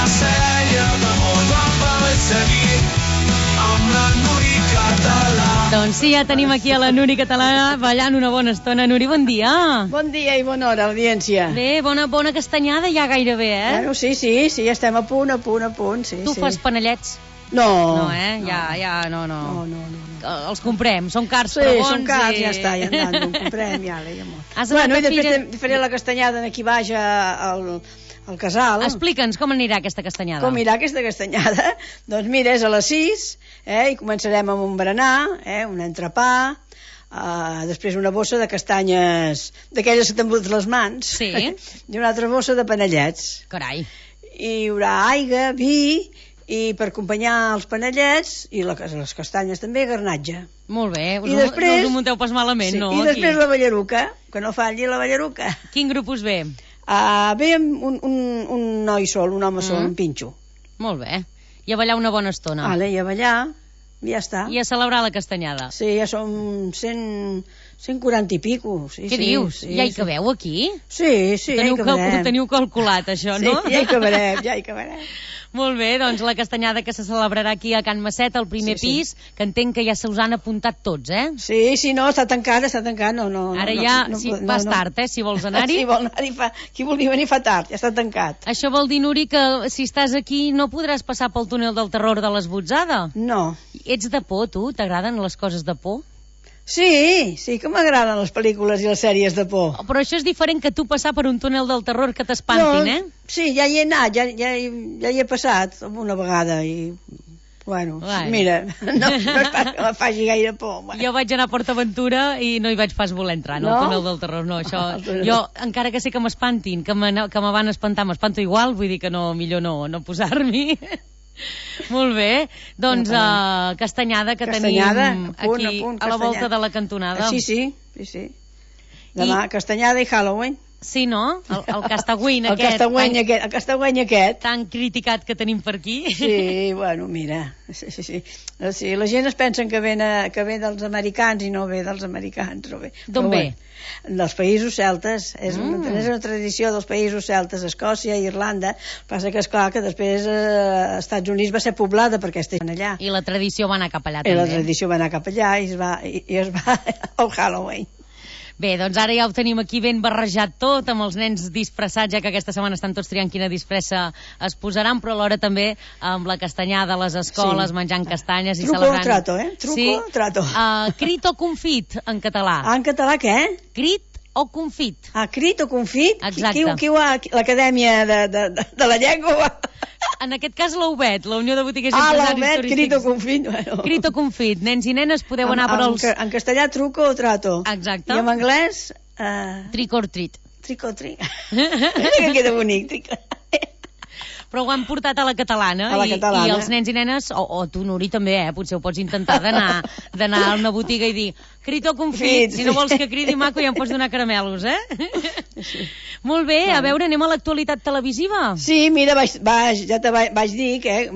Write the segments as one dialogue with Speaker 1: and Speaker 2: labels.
Speaker 1: seia damunt del balletzerí amb la Nuri Català.
Speaker 2: Doncs sí, ja tenim aquí a la Nuri Català ballant una bona estona. Nuri, bon dia.
Speaker 3: Bon dia i bona hora, audiència.
Speaker 2: Bé, bona castanyada ja gairebé,
Speaker 3: Bueno, sí, estem a punt, sí.
Speaker 2: Tu fas panellets?
Speaker 3: No.
Speaker 2: No, no.
Speaker 3: No.
Speaker 2: Els comprem, són cars,
Speaker 3: sí,
Speaker 2: però bons.
Speaker 3: Sí, són cars,
Speaker 2: i...
Speaker 3: ja està, ja en comprem, ja.
Speaker 2: Bueno,
Speaker 3: i després faré la castanyada aquí baix al casal.
Speaker 2: Explica'ns com anirà aquesta castanyada.
Speaker 3: Com anirà aquesta castanyada? Doncs mira, és a les 6, i començarem amb un berenar, un entrepà, després una bossa de castanyes, d'aquelles que t'embut les mans,
Speaker 2: sí.
Speaker 3: I una altra bossa de panellets.
Speaker 2: Carai.
Speaker 3: I hi haurà aigua, vi, i per acompanyar els panellets i les castanyes també, garnatge.
Speaker 2: Molt bé,
Speaker 3: després,
Speaker 2: no us ho munteu pas malament,
Speaker 3: sí,
Speaker 2: no?
Speaker 3: I després la ballaruca, que no falli la ballaruca.
Speaker 2: Quin grup us ve?
Speaker 3: Ve un noi sol, un home sol, un pinxo.
Speaker 2: Molt bé, i a ballar una bona estona.
Speaker 3: I a ballar, ja està.
Speaker 2: I a celebrar la castanyada.
Speaker 3: Sí, ja som 140 i pico. Sí,
Speaker 2: què dius? Ja hi cabeu aquí?
Speaker 3: Sí, ja hi cabrem.
Speaker 2: Ho teniu calculat, això, no?
Speaker 3: Sí, ja hi cabrem.
Speaker 2: Molt bé, doncs la castanyada que se celebrarà aquí a Can Masset, al primer pis, que entenc que ja se us han apuntat tots,
Speaker 3: Sí, no, està tancat, no.
Speaker 2: Ara ja, vas tard, si vols anar-hi.
Speaker 3: Si vol anar-hi, qui vulgui venir fa tard, ja està tancat.
Speaker 2: Això vol dir, Nuri, que si estàs aquí no podràs passar pel túnel del terror de l'Esbotzada?
Speaker 3: No.
Speaker 2: Ets de por, tu? T'agraden les coses de por?
Speaker 3: Sí, que m'agraden les pel·lícules i les sèries de por.
Speaker 2: Però això és diferent que tu passar per un túnel del terror que t'espantin,
Speaker 3: Sí, ja hi he anat, ja hi he passat una vegada i... Bueno, mira, no és pas que me faci gaire por. Bueno.
Speaker 2: Jo vaig anar a PortAventura i no hi vaig pas voler entrar, no? Al túnel del terror, no. Això, jo, encara que sé que m'espantin, que me van espantar, m'espanto igual, vull dir que no, millor no posar-m'hi. Molt bé, doncs castanyada que tenim aquí a la volta de la cantonada.
Speaker 3: Sí. Demà castanyada i Halloween.
Speaker 2: Sí, no? El castagüeny
Speaker 3: aquest. El castagüeny aquest.
Speaker 2: Tan criticat que tenim per aquí.
Speaker 3: Sí, bueno, mira. Sí. La gent es pensen que ve dels americans i no ve dels americans.
Speaker 2: D'on ve?
Speaker 3: Dels països celtes. És una tradició dels països celtes, Escòcia i Irlanda. Passa que, esclar, que després als Estats Units va ser poblada perquè estan allà.
Speaker 2: I la tradició va anar cap allà, també.
Speaker 3: I la tradició va anar cap allà i es va al Halloween.
Speaker 2: Bé, doncs ara ja ho tenim aquí ben barrejat tot, amb els nens disfressats, ja que aquesta setmana estan tots triant quina disfressa es posaran, però alhora també amb la castanyada a les escoles, menjant castanyes i celebrant...
Speaker 3: Truco o trato, Truco o trato.
Speaker 2: Crit o confit, en català.
Speaker 3: En català què?
Speaker 2: Crit o confit.
Speaker 3: Crit o confit?
Speaker 2: Exacte.
Speaker 3: Qui ho ha... L'Acadèmia de la Llengua...
Speaker 2: En aquest cas l'UBET, la Unió de Botiguers i Empresaris Turístics.
Speaker 3: Crit o confit. Bueno.
Speaker 2: Crit o confit. Nens i nenes podeu anar per als...
Speaker 3: En castellà, truco o trato.
Speaker 2: Exacte.
Speaker 3: I en anglès...
Speaker 2: Trick or treat.
Speaker 3: Trick or treat. Que queda bonic.
Speaker 2: Però ho han portat a la catalana.
Speaker 3: I
Speaker 2: els nens i nenes, o tu, Nuri, també, potser ho pots intentar d'anar a una botiga i dir crit o confit, si no vols que cridi maco ja em pots donar caramelos, Sí. Molt bé, a veure, anem a l'actualitat televisiva.
Speaker 3: Sí, mira, ja te vaig dir que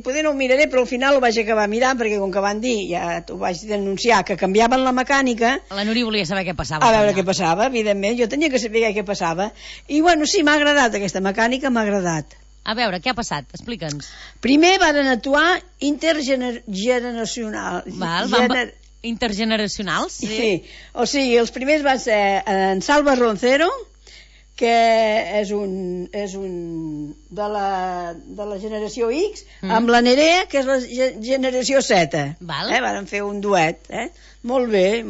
Speaker 3: poder no ho miraré, però al final ho vaig acabar mirant, perquè com que van dir, ja t'ho vaig denunciar, que canviaven la mecànica.
Speaker 2: La Nuri volia saber què passava.
Speaker 3: A veure què passava, evidentment, jo tenia que saber què passava. I bueno, sí, m'ha agradat aquesta mecànica, m'ha agradat.
Speaker 2: A veure, què ha passat? Explica'ns.
Speaker 3: Primer van actuar intergeneracional.
Speaker 2: Intergeneracionals?
Speaker 3: Sí. O sigui, els primers van ser en Salva Roncero, que és un de la generació X, amb la Nerea, que és la generació Z. Van fer un duet. Molt bé,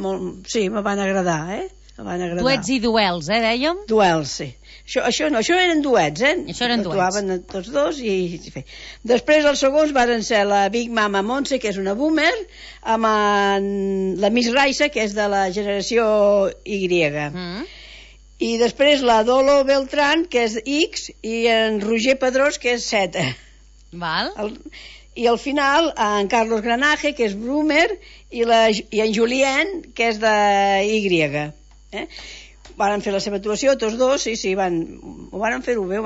Speaker 3: sí, me van agradar.
Speaker 2: Duets i duels, dèiem?
Speaker 3: Duels, sí. Això no, això eren duets,
Speaker 2: Això eren duets.
Speaker 3: Actuaven tots dos i... Després els segons varen ser la Big Mama Montse, que és una boomer, amb la Miss Raisa, que és de la generació Y. I després la Dolo Beltrán, que és X, i en Roger Pedrós, que és Z. I al final en Carlos Granaje, que és boomer, i en Julien, que és de Y. Van fer la seva actuació, tots dos, sí, ho van fer-ho bé,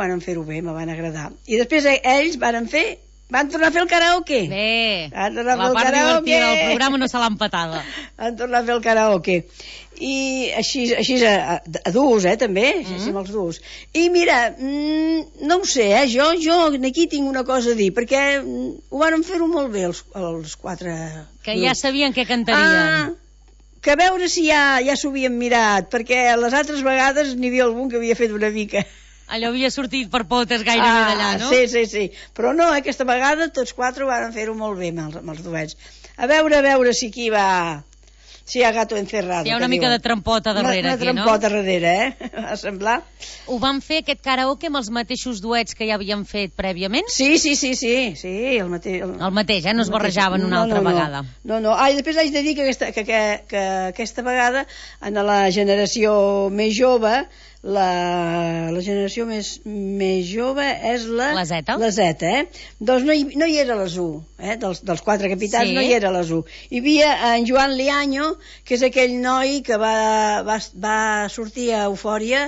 Speaker 3: me van agradar. I després ells van fer Van tornar a fer el karaoke.
Speaker 2: Bé,
Speaker 3: Van tornar a fer
Speaker 2: la
Speaker 3: el
Speaker 2: part
Speaker 3: karaoke.
Speaker 2: divertida del programa no se l'ha empatada.
Speaker 3: Van tornar a fer el karaoke. I així a duos, també, així amb els duos. I mira, no ho sé, jo aquí tinc una cosa a dir, perquè ho van fer-ho molt bé els quatre
Speaker 2: Que
Speaker 3: grups.
Speaker 2: ja sabien què cantarien.
Speaker 3: Que a veure si ja s'ho havien mirat, perquè les altres vegades n'hi havia algun que havia fet una mica.
Speaker 2: Allò havia sortit per potes gairebé d'allà, no?
Speaker 3: Sí. Però no, aquesta vegada tots quatre van fer-ho molt bé amb els duets. A veure si aquí va... Si hi ha gato encerrado.
Speaker 2: Si hi ha una mica de trampota darrere aquí, no?
Speaker 3: Una trampota darrere, Va semblar.
Speaker 2: Ho van fer, aquest karaoke, amb els mateixos duets que ja havien fet prèviament?
Speaker 3: Sí, el mateix.
Speaker 2: El mateix, no es barrejaven una altra vegada.
Speaker 3: No. Després haig de dir que aquesta vegada, en la generació més jove, la generació més jove és la
Speaker 2: Zeta.
Speaker 3: La Zeta, Doncs no hi era les 1, dels quatre capitans no hi era les 1. Hi havia en Joan Liaño, que és aquell noi que va sortir a Eufòria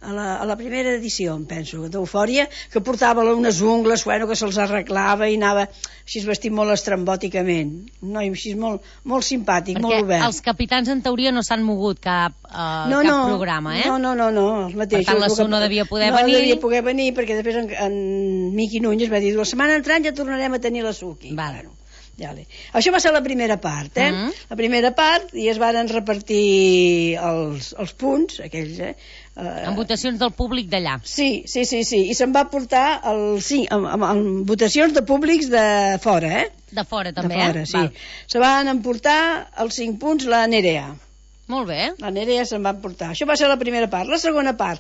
Speaker 3: a la primera edició, em penso, d'Eufòria, que portava unes ungles, que se'ls arreglava i anava així vestit molt estrambòticament. Un noi així molt simpàtic, molt obert.
Speaker 2: Perquè els capitans, en teoria, no s'han mogut cap programa,
Speaker 3: No, els mateixos.
Speaker 2: Per tant, la Su no devia poder venir.
Speaker 3: No devia poder venir, perquè després en Miqui Núñez va dir, la setmana entrant ja tornarem a tenir la Su aquí.
Speaker 2: Vale.
Speaker 3: Això va ser la primera part, La primera part, i es van repartir els punts, aquells,
Speaker 2: amb votacions del públic d'allà.
Speaker 3: Sí, i se'n va portar amb votacions de públics de fora,
Speaker 2: De fora, també,
Speaker 3: de fora, sí. Se van emportar els 5 punts la Nerea.
Speaker 2: Molt bé.
Speaker 3: La Nerea se'n va emportar. Això va ser la primera part. La segona part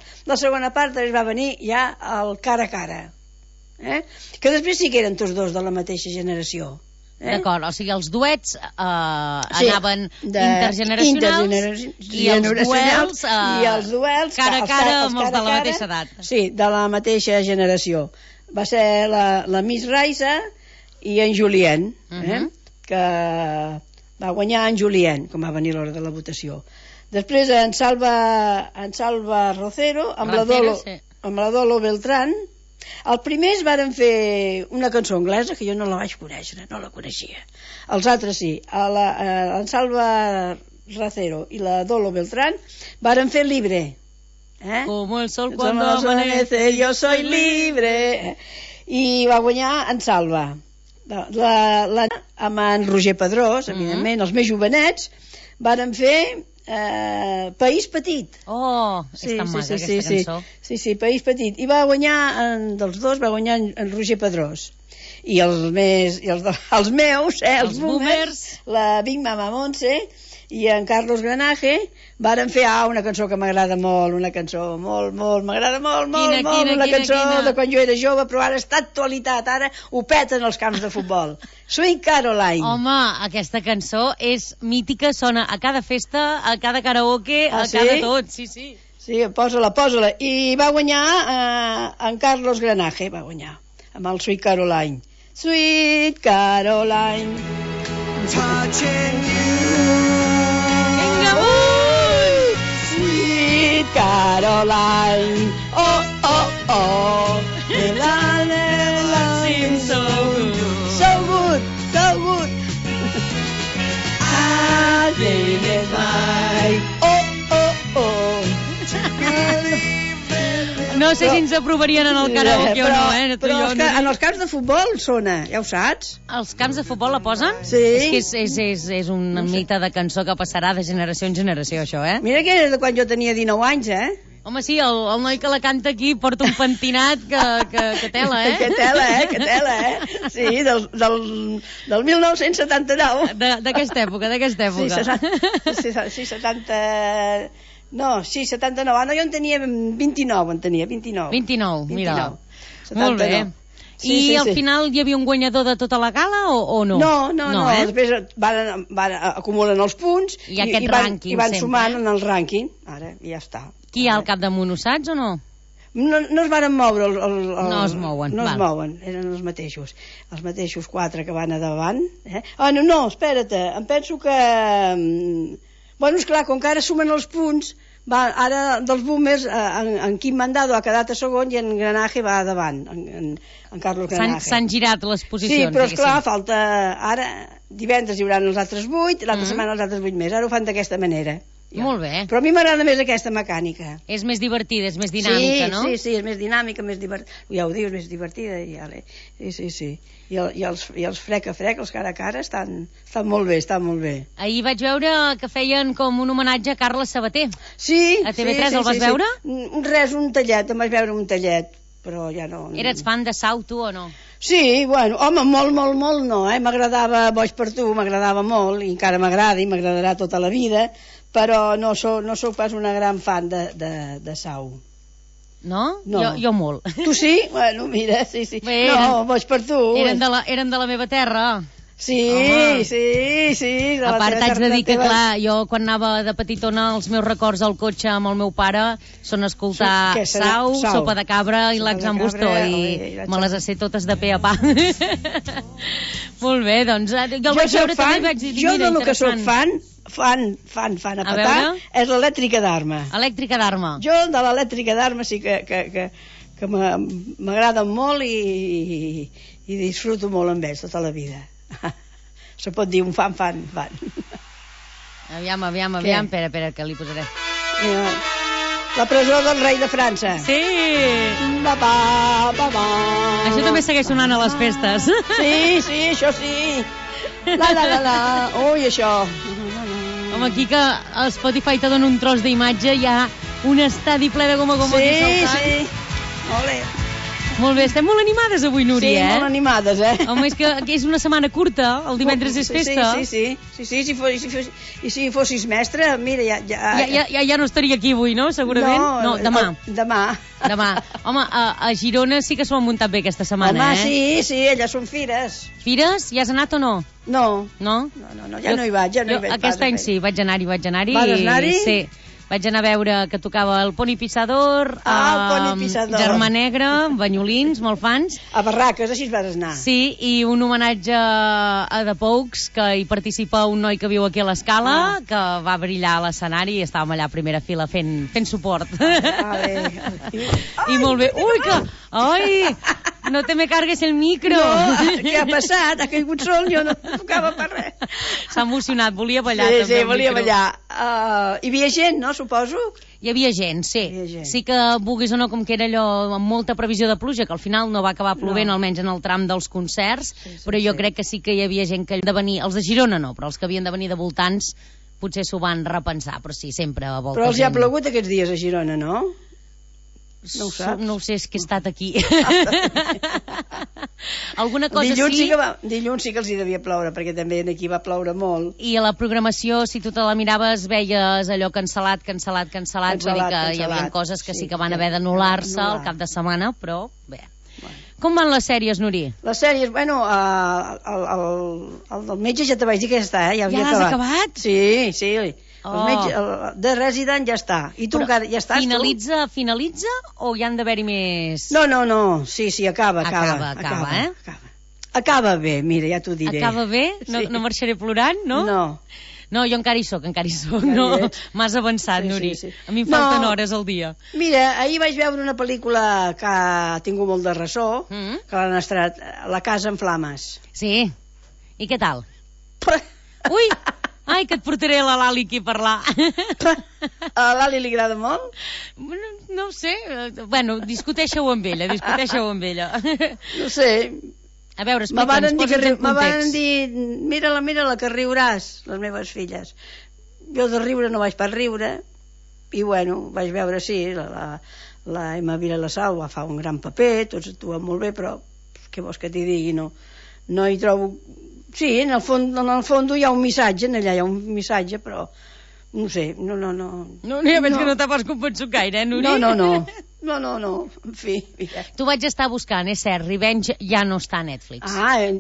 Speaker 3: també va venir ja el cara a cara. Que després sí que eren tots dos de la mateixa generació.
Speaker 2: D'acord, o sigui, els duets anaven intergeneracionals i els duels cara a cara amb els de la mateixa edat.
Speaker 3: Sí, de la mateixa generació. Va ser la Miss Raisa i en Julien, que va guanyar en Julien, com va venir l'hora de la votació. Després en Salva Rocero amb la Dolo Beltrán. El primer varen fer una cançó anglesa que jo no la vaig conèixer, no la coneixia. Els altres sí. En Salva Rocero i la Dolo Beltrán varen fer Libre.
Speaker 2: Como el sol cuando amanece,
Speaker 3: yo soy libre. I va guanyar en Salva. Amb en Roger Pedrós, evidentment, els més jovenets, varen fer País Petit.
Speaker 2: És tan maca aquesta cançó.
Speaker 3: Sí, País Petit. I va guanyar, dels dos, va guanyar en Roger Pedrós. I els meus, els boomers, la Big Mama Montse i en Carlos Granaje varen fer una cançó que m'agrada molt, una cançó m'agrada molt, una cançó de quan jo era jove, però ara està d'actualitat, ara ho peten els camps de futbol. Sweet Caroline.
Speaker 2: Home, aquesta cançó és mítica, sona a cada festa, a cada karaoke, a cada tot, sí.
Speaker 3: Sí, posa-la. I va guanyar en Carlos Granaje, va guanyar, amb el Sweet Caroline. Sweet Caroline, touching you. Sweet Caroline, oh, la seems so good, I live it like, oh.
Speaker 2: No sé si ens aprovarien en el karaoke o no,
Speaker 3: però en els camps de futbol sona, ja ho saps?
Speaker 2: Els camps de futbol la posen?
Speaker 3: Sí.
Speaker 2: És que és una mita de cançó que passarà de generació en generació, això,
Speaker 3: Mira que era de quan jo tenia 19 anys,
Speaker 2: Home, sí, el noi que la canta aquí porta un pentinat que tela,
Speaker 3: Que tela, Sí, del 1979.
Speaker 2: D'aquesta època.
Speaker 3: Sí, 70... No, sí, 79. Jo en tenia 29,
Speaker 2: 29, mira.
Speaker 3: 79.
Speaker 2: Molt bé. I al final hi havia un guanyador de tota la gala o no?
Speaker 3: No. Després van acumulen els punts
Speaker 2: i van
Speaker 3: sumant en el rànquing. Ara, ja està.
Speaker 2: Qui hi ha al capdamunt, ho saps o no?
Speaker 3: No es varen moure.
Speaker 2: No es mouen.
Speaker 3: No es mouen, eren els mateixos 4 que van a davant. No, espera't, em penso que... Bueno, esclar, com que ara sumen els punts, Ara dels boomers, en Quim Mandado ha quedat a segon i en Granaje va davant, en Carlos Granaje.
Speaker 2: S'han girat les posicions.
Speaker 3: Sí, però esclar, falta... Ara, divendres hi haurà els altres 8, l'altra setmana els altres 8 més. Ara ho fan d'aquesta manera. Ja.
Speaker 2: Molt bé.
Speaker 3: Però a mi m'agrada més aquesta mecànica.
Speaker 2: És més divertida, és més dinàmica, no?
Speaker 3: Sí, és més dinàmica, més divertida. Ja ho dius, més divertida. Sí. I els frec a frec, els cara a cara, estan molt bé,
Speaker 2: Ahir vaig veure que feien com un homenatge a Carles Sabater.
Speaker 3: Sí.
Speaker 2: A TV3 el vas veure?
Speaker 3: Res, un tallet, em vaig veure un tallet, però ja no...
Speaker 2: Eres fan de Sau, tu, o no?
Speaker 3: Sí, bueno, home, molt no, M'agradava Boig per tu, m'agradava molt, i encara m'agrada i m'agradarà tota la vida, però no soc pas una gran fan de Sau.
Speaker 2: No?
Speaker 3: No.
Speaker 2: Jo molt.
Speaker 3: Tu sí? Bueno, mira, sí.
Speaker 2: Bé,
Speaker 3: no, Boig per tu.
Speaker 2: Eren de la meva terra.
Speaker 3: Sí.
Speaker 2: A part, t'haig de dir que, clar, jo quan anava de petitona, els meus records al cotxe amb el meu pare són escoltar Sau, Sopa de Cabra i l'Axan Bustó, i me les sé totes de pe a pa. Molt bé, doncs, jo el vaig veure també i vaig dir,
Speaker 3: jo de lo que soc fan a petar, és l'elèctrica d'Arma.
Speaker 2: Elèctrica d'Arma.
Speaker 3: Jo de l'elèctrica d'Arma sí que m'agrada molt i disfruto molt amb ells tota la vida. Se pot dir un fan.
Speaker 2: Aviam, espera, que li posaré.
Speaker 3: Mira, la presó del rei de França.
Speaker 2: Sí! Això també segueix sonant a les festes.
Speaker 3: Sí, això sí. La. Ui, això.
Speaker 2: Home, aquí que el Spotify te dona un tros d'imatge, hi ha un estadi ple de goma aquí saltant.
Speaker 3: Sí. Olé.
Speaker 2: Molt bé, estem molt animades avui, Núria,
Speaker 3: Sí, molt animades,
Speaker 2: Home, és que és una setmana curta, el divendres és festa.
Speaker 3: Sí, si fossis mestre, mira,
Speaker 2: ja no estaria aquí avui, no? Segurament? No, demà. Home, a Girona sí que s'ho han muntat bé aquesta setmana,
Speaker 3: Home, sí, elles són fires.
Speaker 2: Fires? Ja has anat o no?
Speaker 3: No,
Speaker 2: no,
Speaker 3: ja no hi vaig.
Speaker 2: Aquest any sí, vaig anar-hi.
Speaker 3: Vas anar-hi?
Speaker 2: Sí. Vaig anar a veure que tocava el Poni Pissador,
Speaker 3: el Poni Pissador,
Speaker 2: Germà Negre, Banyolins, molt fans.
Speaker 3: A Barraques, així vas anar.
Speaker 2: Sí, i un homenatge a The Pogues, que hi participa un noi que viu aquí a l'Escala, que va brillar a l'escenari i estàvem allà a primera fila fent suport. I molt bé. Ui, que... Ai, no te me cargues el micro.
Speaker 3: No, què ha passat? Ha caigut sol, jo no tocava per res.
Speaker 2: S'ha emocionat, volia ballar.
Speaker 3: Sí, volia ballar. Hi havia gent, no, suposo?
Speaker 2: Hi havia gent, sí. Sí que, vulguis o no, com que era allò amb molta previsió de pluja, que al final no va acabar plovent, almenys en el tram dels concerts, però jo crec que sí que hi havia gent que havien de venir, els de Girona no, però els que havien de venir de voltants potser s'ho van repensar, però sí, sempre a volta.
Speaker 3: Però els hi ha plogut aquests dies a Girona, no? No ho saps?
Speaker 2: No ho sé, és que he estat aquí. Alguna cosa
Speaker 3: Dilluns sí que els hi devia ploure, perquè també aquí va ploure molt.
Speaker 2: I a la programació, si tu te la miraves, veies allò cancel·lat, vull dir que hi havia coses que sí que van haver d'anul·lar-se al cap de setmana, però bé. Com van les sèries, Nuri?
Speaker 3: Les sèries, bueno, el del metge ja te vaig dir que ja està, ja
Speaker 2: l'has acabat?
Speaker 3: Sí. El metge, The Resident ja està. I tu encara ja estàs?
Speaker 2: Finalitza o hi han d'haver-hi més?
Speaker 3: No, sí, acaba. Acaba bé, mira, ja t'ho diré.
Speaker 2: Acaba bé? No marxaré plorant, no? No, jo encara hi soc, no? M'has avançat, Nuri. A mi em falten hores al dia.
Speaker 3: Mira, ahir vaig veure una pel·lícula que ha tingut molt de ressò, que l'han estrenat, La casa en flames.
Speaker 2: Sí. I què tal? Ui! Ai, que et portaré la Lali aquí a parlar.
Speaker 3: A la Lali li agrada molt?
Speaker 2: No ho sé. Bueno, discuteixeu amb ella.
Speaker 3: No sé.
Speaker 2: A veure, explica'ns, posa'ns en context.
Speaker 3: Me van dir, mira-la, que riuràs, les meves filles. Jo de riure no vaig per riure, i bueno, vaig veure, sí, la Emma Vilassau va fer un gran paper, tots actuen molt bé, però què vols que t'hi digui, no hi trobo... Sí, en el fons hi ha un missatge, però no sé, no.
Speaker 2: Ja veig que no t'ha pas convençut gaire, Nuri?
Speaker 3: No. No, en fi.
Speaker 2: Tu vaig estar buscant, és cert, Revenge ja no està a Netflix.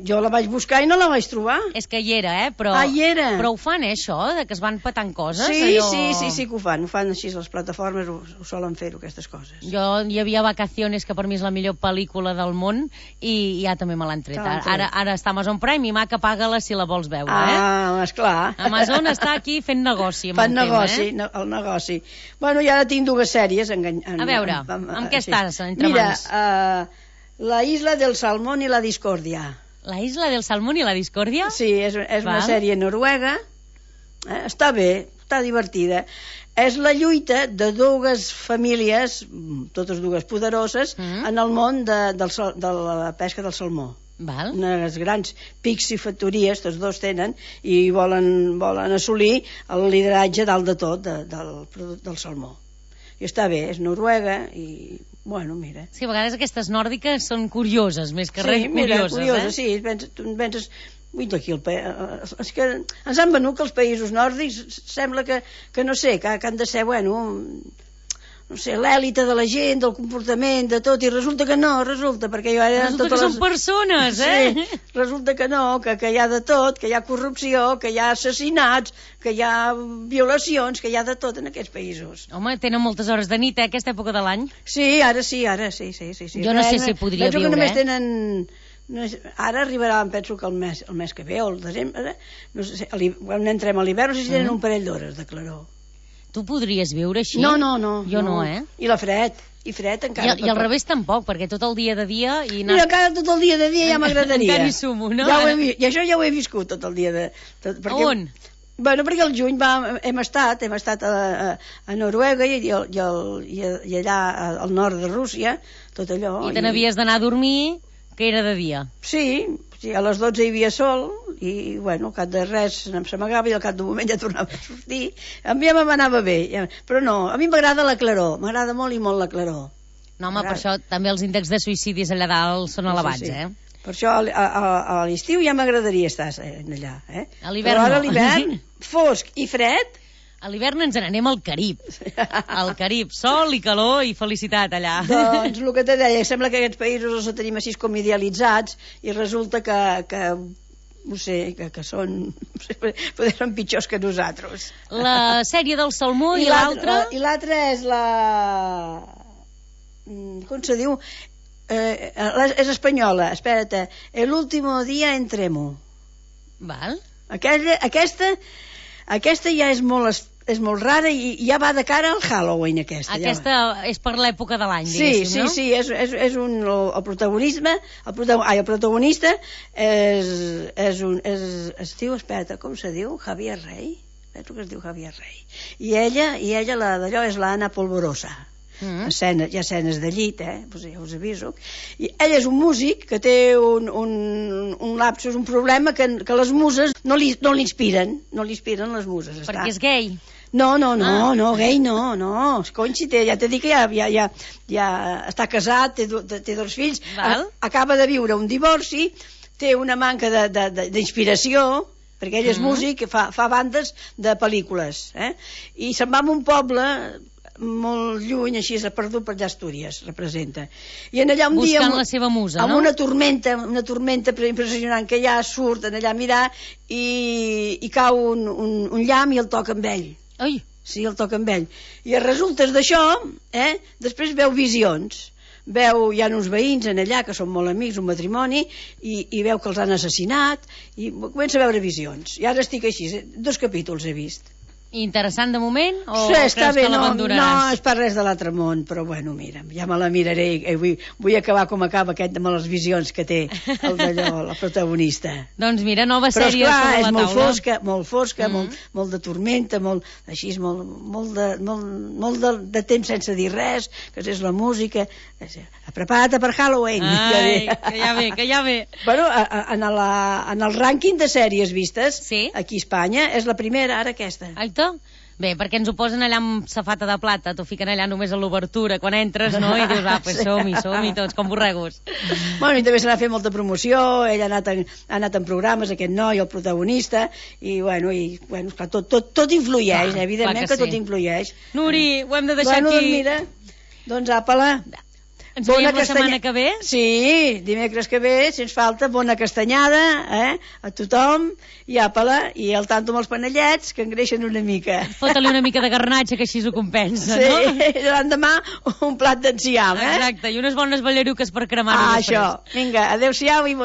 Speaker 3: Jo la vaig buscar i no la vaig trobar.
Speaker 2: És que hi era, però...
Speaker 3: Hi era.
Speaker 2: Però ho fan, això, de que es van petant coses?
Speaker 3: Sí,
Speaker 2: allò...
Speaker 3: sí, que ho fan així, les plataformes ho solen fer-ho, aquestes coses.
Speaker 2: Hi havia Vacaciones, que per mi és la millor pel·lícula del món, i ja també me l'han tret. Ara està a Amazon Prime, i maca, paga-la si la vols veure,
Speaker 3: esclar.
Speaker 2: Amazon està aquí fent negoci amb
Speaker 3: el tema, el negoci. Bueno, i ara tinc dues sèries.
Speaker 2: A veure, amb què estàs entre mans?
Speaker 3: Mira, La Isla del Salmón i la Discòrdia.
Speaker 2: La Isla del Salmón i la Discòrdia?
Speaker 3: Sí, és una sèrie noruega. Està bé, està divertida. És la lluita de dues famílies, totes dues poderoses, en el món de la pesca del salmó. Unes grans piscifactories, tots dos tenen, i volen assolir el lideratge dalt de tot del salmó. I està bé, és noruega i, bueno, mira.
Speaker 2: Sí, a vegades aquestes nòrdiques són curioses, més que res curioses.
Speaker 3: Sí, penses... Ui, d'aquí és que ens han venut que els països nòrdics sembla que no sé, que han de ser, bueno, no sé, l'èlite de la gent, del comportament, de tot, i resulta que no, perquè jo ara...
Speaker 2: Resulta que són persones,
Speaker 3: Sí, resulta que no, que hi ha de tot, que hi ha corrupció, que hi ha assassinats, que hi ha violacions, que hi ha de tot en aquests països.
Speaker 2: Home, tenen moltes hores de nit, aquesta època de l'any.
Speaker 3: Sí, ara sí.
Speaker 2: Jo no sé si podria viure,
Speaker 3: Penso que només tenen... Ara arribarà, penso que el mes que ve, o el desembre, no sé, quan entrem a l'hivern, no sé si tenen un parell d'hores de claror.
Speaker 2: Tu podries viure així?
Speaker 3: No.
Speaker 2: Jo no,
Speaker 3: I la fred encara.
Speaker 2: I al revés tampoc, perquè tot el dia de dia...
Speaker 3: Mira, encara tot el dia de dia ja m'agradaria.
Speaker 2: Encara hi sumo, no?
Speaker 3: I això ja ho he viscut tot el dia de...
Speaker 2: On?
Speaker 3: Bueno, perquè al juny hem estat a Noruega i allà al nord de Rússia, tot allò.
Speaker 2: I te n'havies d'anar a dormir, que era de dia.
Speaker 3: Sí, a les 12 hi havia sol i, bueno, al cap de res s'amagava i al cap d'un moment ja tornava a sortir. A mi ja m'anava bé, però no, a mi m'agrada la claror, m'agrada molt i molt la claror.
Speaker 2: No, home, per això també els índexs de suïcidis allà dalt són elevats,
Speaker 3: Per això a l'estiu ja m'agradaria estar allà,
Speaker 2: A l'hivern
Speaker 3: però ara a l'hivern, fosc i fred...
Speaker 2: A l'hivern ens n'anem al Carib. Al Carib, sol i calor i felicitat allà.
Speaker 3: Doncs el que te deia, sembla que aquests països els tenim així com idealitzats i resulta que no sé, que són... Poder són pitjors que nosaltres.
Speaker 2: La sèrie del salmó i l'altra...
Speaker 3: I l'altra és la... Com se diu? És espanyola, espera't. El último día en Tremo.
Speaker 2: Val.
Speaker 3: Aquesta ja és molt rara i ja va de cara al Halloween, aquesta.
Speaker 2: Aquesta és per l'època de l'any, diguéssim, no?
Speaker 3: Sí, és el protagonista es diu, espera, com se diu? Javier Rey? Penso que es diu Javier Rey. I ella d'allò és l'Anna Polvorosa. Hi ha escenes de llit, pues ja us aviso. I ell és un músic que té un lapsus, un problema que les muses no li inspiren les muses.
Speaker 2: Perquè és gay.
Speaker 3: No, gay no. Cony, si ja t'he dit que ja està casat, té dos fills, acaba de viure un divorci, té una manca d'inspiració, perquè ell és músic, fa bandes de pel·lícules, i se'n va a un poble molt lluny, així s'ha perdut per allà Astúries, representa. I en allà un dia...
Speaker 2: Buscant la seva musa, no?
Speaker 3: Amb una tormenta impressionant, que ja surt allà a mirar i cau un llamp i el toca amb ell.
Speaker 2: Ai!
Speaker 3: Sí, el toca amb ell. I a resultes d'això, després veu visions. Hi ha uns veïns en allà que són molt amics, un matrimoni, i veu que els han assassinat, i comença a veure visions. I ara estic així, 2 capítols he vist.
Speaker 2: Interessant de moment o
Speaker 3: creus
Speaker 2: que l'abandonaràs?
Speaker 3: No és per res de l'altre món, però bueno, mira, ja me la miraré i vull acabar com acaba aquest amb les visions que té la protagonista.
Speaker 2: Doncs mira, nova sèrie sobre la taula.
Speaker 3: Però esclar, és molt fosca, molt de tormenta, molt de temps sense dir res, que és la música. Prepara't per Halloween.
Speaker 2: Ai, que ja ve.
Speaker 3: Bueno, en el rànquing de sèries vistes, aquí a Espanya, és la primera, ara aquesta.
Speaker 2: Aita? Bé, perquè ens ho posen allà amb safata de plata, t'ho fiquen allà només a l'obertura, quan entres, no? I dius, pues som-hi tots, com borregos.
Speaker 3: Bueno, i també se n'ha fet molta promoció, ell ha anat en programes, aquest noi, el protagonista, i bueno, tot influeix, evidentment que tot influeix.
Speaker 2: Nuri, ho hem de deixar aquí.
Speaker 3: Mira... Doncs apa-la.
Speaker 2: Ens veiem la setmana que ve?
Speaker 3: Sí, dimecres que ve, sens falta, bona castanyada, a tothom, i apa-la, i al tanto amb els panellets, que engreixen una mica.
Speaker 2: Fota-li una mica de garnatxa, que així ho compensa, no?
Speaker 3: Sí, l'endemà un plat d'enciam,
Speaker 2: Exacte, i unes bones ballaruques per cremar-ho després.
Speaker 3: Això, vinga, adeu-siau i bon